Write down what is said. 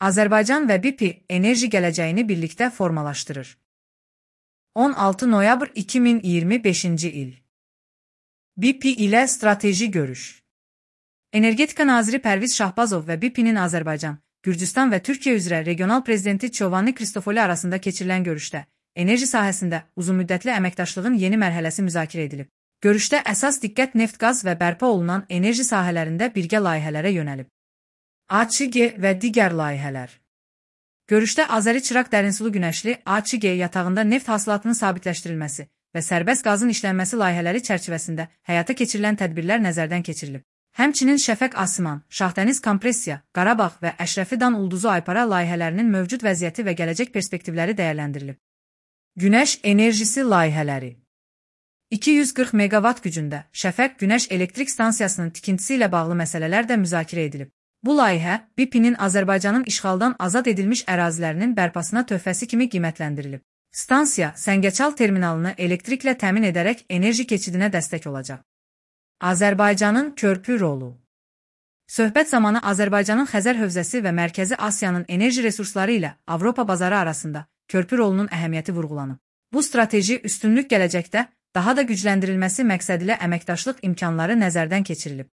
Azərbaycan və BP enerji gələcəyini birlikdə formalaşdırır. 16 noyabr 2025-ci il. BP ilə strateji görüş. Energetika naziri Pərviz Şahbazov və BP-nin Azərbaycan, Gürcüstan və Türkiyə üzrə regional prezidenti Çovanni Kristofoli arasında keçirilən görüşdə enerji sahəsində uzunmüddətli əməkdaşlığın yeni mərhələsi müzakirə edilib. Görüşdə əsas diqqət neft-qaz və bərpa olunan enerji sahələrində birgə layihələrə yönəlib. AÇG və digər layihələr. Görüşdə Azəri-Çıraq dərinsulu günəşli AÇG yatağında neft hasilatının sabitləşdirilməsi və sərbəst qazın işlənməsi layihələri çərçivəsində həyata keçirilən tədbirlər nəzərdən keçirilib. Həmçinin Şəfəq-Asiman, Şahdəniz kompressiya, Qarabağ və Əşrəfi Dan Ulduzu Aypara layihələrinin mövcud vəziyyəti və gələcək perspektivləri dəyərləndirilib. Günəş enerjisi layihələri. 240 meqavat gücündə Şəfəq Günəş Elektrik Stansiyasının tikintisi ilə bağlı məsələlər də müzakirə edilib. Bu layihə BP-nin Azərbaycanın işğaldan azad edilmiş ərazilərinin bərpasına töhfəsi kimi qiymətləndirilib. Stansiya Səngəçal terminalını elektriklə təmin edərək enerji keçidinə dəstək olacaq. Azərbaycanın körpü rolu. Söhbət zamanı Azərbaycanın Xəzər hövzəsi və Mərkəzi Asiyanın enerji resursları ilə Avropa bazarı arasında körpü rolunun əhəmiyyəti vurğulanıb. Bu strateji üstünlük gələcəkdə daha da gücləndirilməsi məqsədilə əməkdaşlıq imkanları nəzərdən keçirilib.